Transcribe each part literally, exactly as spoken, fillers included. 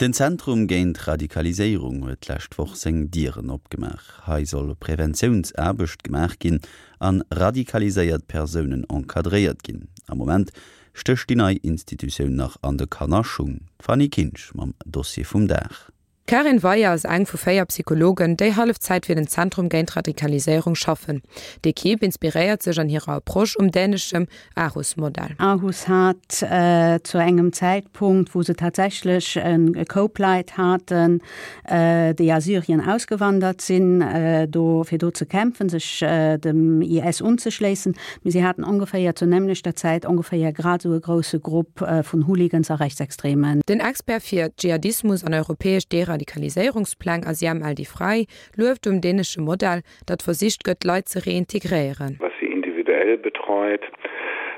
Den Zentrum géint Radikaliséierung huet d'lescht Woch seng Dieren opgemaach. Hei soll Preventiounsaarbecht gemaach ginn an radikaliséiert Persounen encadréiert ginn. Am Moment stécht déi nei Institutioun nach an de Kannerschung. D'Fanny Kinsch mam Dossier vum Dag. D'Karin Weyer ass eng vu véier Psychologen, déi Hallefzäit fir den Zentrum géint Radikaliséierung schaffen. D'Ekipp inspiréiert sech an hirer Approche um däneschem Aarhus-Modell. Aarhus hat zu engem Zäitpunkt, wou se tatsächlech e Koup Leit haten, déi a Syrien ausgewandert sinn, do fir do ze kämpfen, sech dem I S unzeschléissen. Mee si haten ongeféier zur nämmlechter Zäit ongeféier grad esou e grousse Grupp vun Hooligans a Rechtsextremen. Den Expert fir Dschihadismus an europäesch Deradikaliséierungspläng Aziam El-Defrawy lueft um dänesche Modell, datt versicht gëtt, Leit ze reintegréieren. Was sie individuell betreut,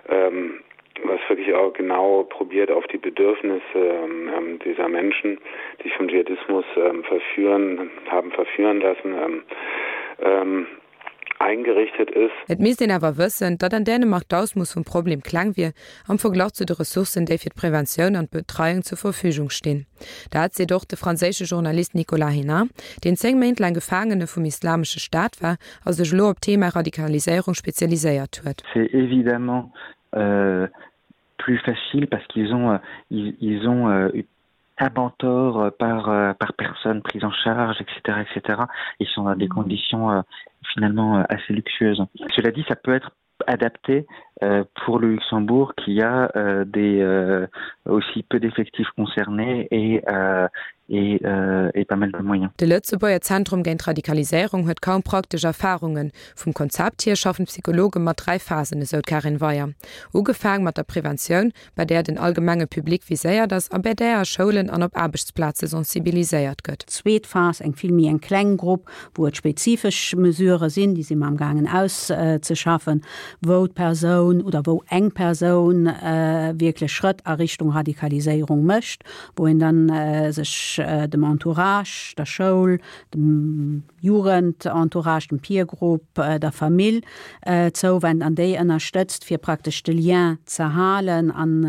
was wirklich auch genau probiert, auf die Bedürfnisse dieser Menschen, die sich vom Dschihadismus verführen, haben verführen lassen, eingerichtet ist. Et misst een awer wëssen, datt an Dänemark d'Ausmooss vum Problem kleng wier am Verglach zu de Ressourcen, déi fir d'Preventioun an d'Betreiung zur Verfügung stinn. Dat seet och de franséische Journalist Nicolas Hénin, deen zéng Méint laang Gefaangene vum Islamesche Staat war a sech elo op d'Thema Radikaliséierung spezialiséiert huet. C'est évidemment plus facile parce qu'ils ont, ils ont un mentor par, par personne prise en charge, et cetera, et cetera. Ils sont dans des conditions finalement assez luxueuses. Cela dit, ça peut être adapté pour le Luxembourg qui a des, aussi peu d'effectifs concernés et, et, et pas mal de moyens. De Lëtzebuerger Zentrum géint Radikaliséierung huet kaum praktesch Erfarungen. Vum Konzept hier schaffen d'Psychologe mat dräi Phasen, esou d'Karin Weyer. Ugefaang mat der Preventioun, bei där den allgemenge Public viséiert ass a bei där a Schoulen an op Aarbechtsplaze sensibiliséiert gëtt. Zweet Phas, eng vill méi eng kleng Grupp, wou et spezifesch Mesurë sinn, déi si mer am gaangen auszeschaffen, wou d'Persoun oder wou eng Persoun wierklech Schrëtt a Richtung Radikaliséierung mécht, wou een dann sech dem Entourage, der Schoul, dem Jugendentourage, dem Peergroup, der Famill zouwennt an déi ënnerstëtzt, fir praktesch de Lien ze halen an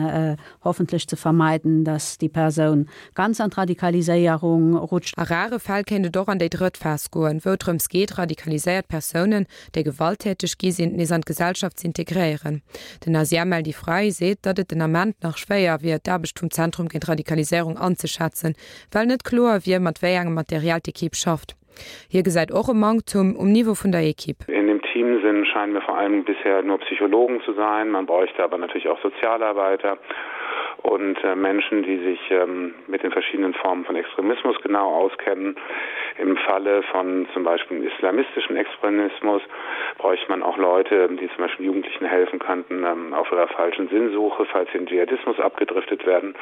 hoffentlech ze vermeiden, dass déi Persoun ganz an d'Radikaliséierung rutscht. A rare Fäll kéint et och an déi drëtt Phas goen, wou et drëms geet, radikaliséiert Persounen, déi gewalttäteg gi sinn, nees an d'Gesellschaft ze integréieren. Den Aziam El-Defrawy seet, datt et den Ament nach schwéier wier, d'Aarbecht vum Zentrum géint Radikaliséierung anzeschätzen, well net kloer wier, mat wéi engem Material d'Ekipp schafft. Hie gesäit och e Manktum um Niveau vun der Ekipp. In dem Team sind, scheinen mir vor allem bisher nur Psychologen zu sein. Man bräuchte aber natürlich auch Sozialarbeiter und Menschen, die sich mit den verschiedenen Formen von Extremismus genau auskennen. Im Falle von zum Beispiel islamistischen Extremismus bräuchte man auch Leute, die zum Beispiel Jugendlichen helfen könnten, auf ihrer falschen Sinnsuche, falls sie in Dschihadismus abgedriftet werden,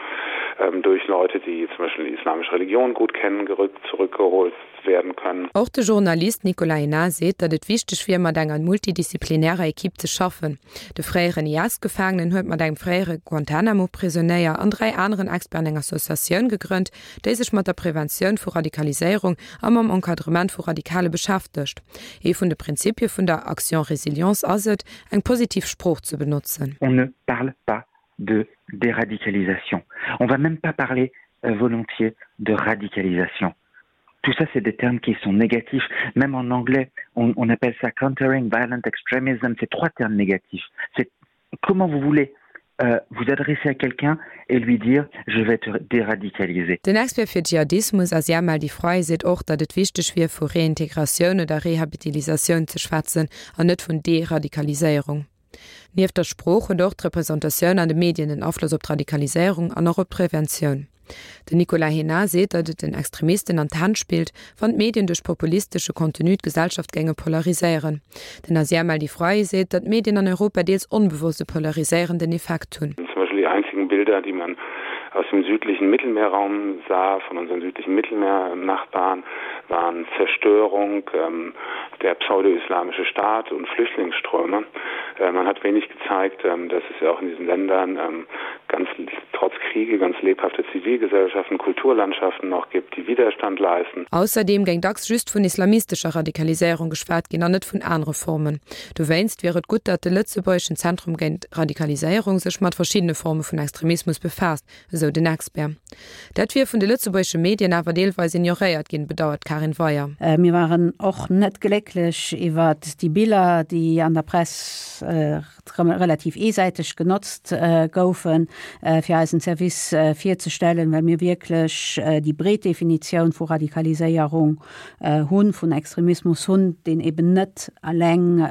durch Leute, die zum Beispiel die islamische Religion gut kennen, gerückt, zurückgeholt werden können. Och de Journalist Nicolas Hénin seet, datt et wichteg wier, mat enger multidisziplinärer Ekipp ze schaffen. De fréieren I S-Gefaangenen huet mat engem fréiere Guantanamo-Prisonéier an dräi aneren Experten eng Associatioun gegrënnt, déi sech mat der Preventioun vu Radikaliséierung a mam Encadrement vu Radikale beschäftegt. Ee vun de Prinzipie vun der Action Résilience ass et, eng positiv Sprooch ze benotzen. On ne parle pas de déradicalisation. On va même pas parler volontiers de radicalisation. Tout ça, c'est des termes qui sont négatifs. Même en anglais, on, on appelle ça countering violent extremism. C'est trois termes négatifs. C'est comment vous voulez, euh, vous adresser à quelqu'un et lui dire je vais te déradicaliser. Den Expert fir Dschihadismus Aziam El-Defrawy seet och, datt et wichteg wier, vu Reintegratioun oder Rehabilitatioun ze schwätzen an net vun Deradikaliséierung. Nieft der Sprooch huet och d'Representatioun an de Medien en Afloss op d'Radikaliséierung an och op d'Preventioun. Den Nicolas Hénin seet, datt et den Extremisten an d'Hänn spillt, wann d'Medien duerch populistesche Contenu d'Gesellschaft géinge polariséieren. Den Aziam El-Defrawy seet, datt d'Medien an Europa deels onbewosst e polariséierenden Effekt hunn. Zum Beispiel die einzigen Bilder, die man aus dem südlichen Mittelmeerraum sah, von unseren südlichen Mittelmeernachbarn, waren Zerstörung, ähm, der pseudo-islamische Staat und Flüchtlingsströme. Äh, man hat wenig gezeigt, ähm, dass es ja auch in diesen Ländern, ähm, ganz trotz Kriege ganz lebhafte Zivilgesellschaften, Kulturlandschaften noch gibt, die Widerstand leisten. Ausserdeem géing dacks just vun islamistescher Radikaliséierung geschwat ginn an net vun anere Formen. Dowéinst wier et gutt, datt de lëtzebuergeschen Zentrum géint Radikaliséierung sech mat verschiddene Forme vun Extremismus befaasst, esou den Expert. Dat wier vun de lëtzebuergesche Medien awer deelweis ignoréiert ginn, bedauert d'Karin Weyer. Mir waren och net glécklech iwwert déi Biller, déi an der Press relativ eesäiteg genotzt goufen, fir eisen Service virzestellen, well mir wierklech déi breet Definitioun vu Radikaliséierung hunn, vun Extremismus hunn, deen eben net alleng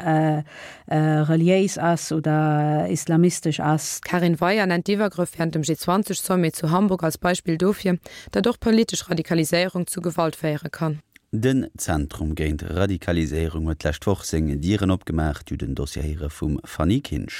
reliéis ass oder islamistesch ass. D'Karin Weyer nennt d'Iwwergrëff wärend dem G zwanzeg Sommet zu Hamburg als Beispill dofir, datt och politesch Radikaliséierung zu Gewalt féiere kann. Den Zentrum géint Radikaliséierung huet d'lescht Woch seng Dieren opgemaach. Dir hutt den Dossier héiere vum Fanny Kinsch.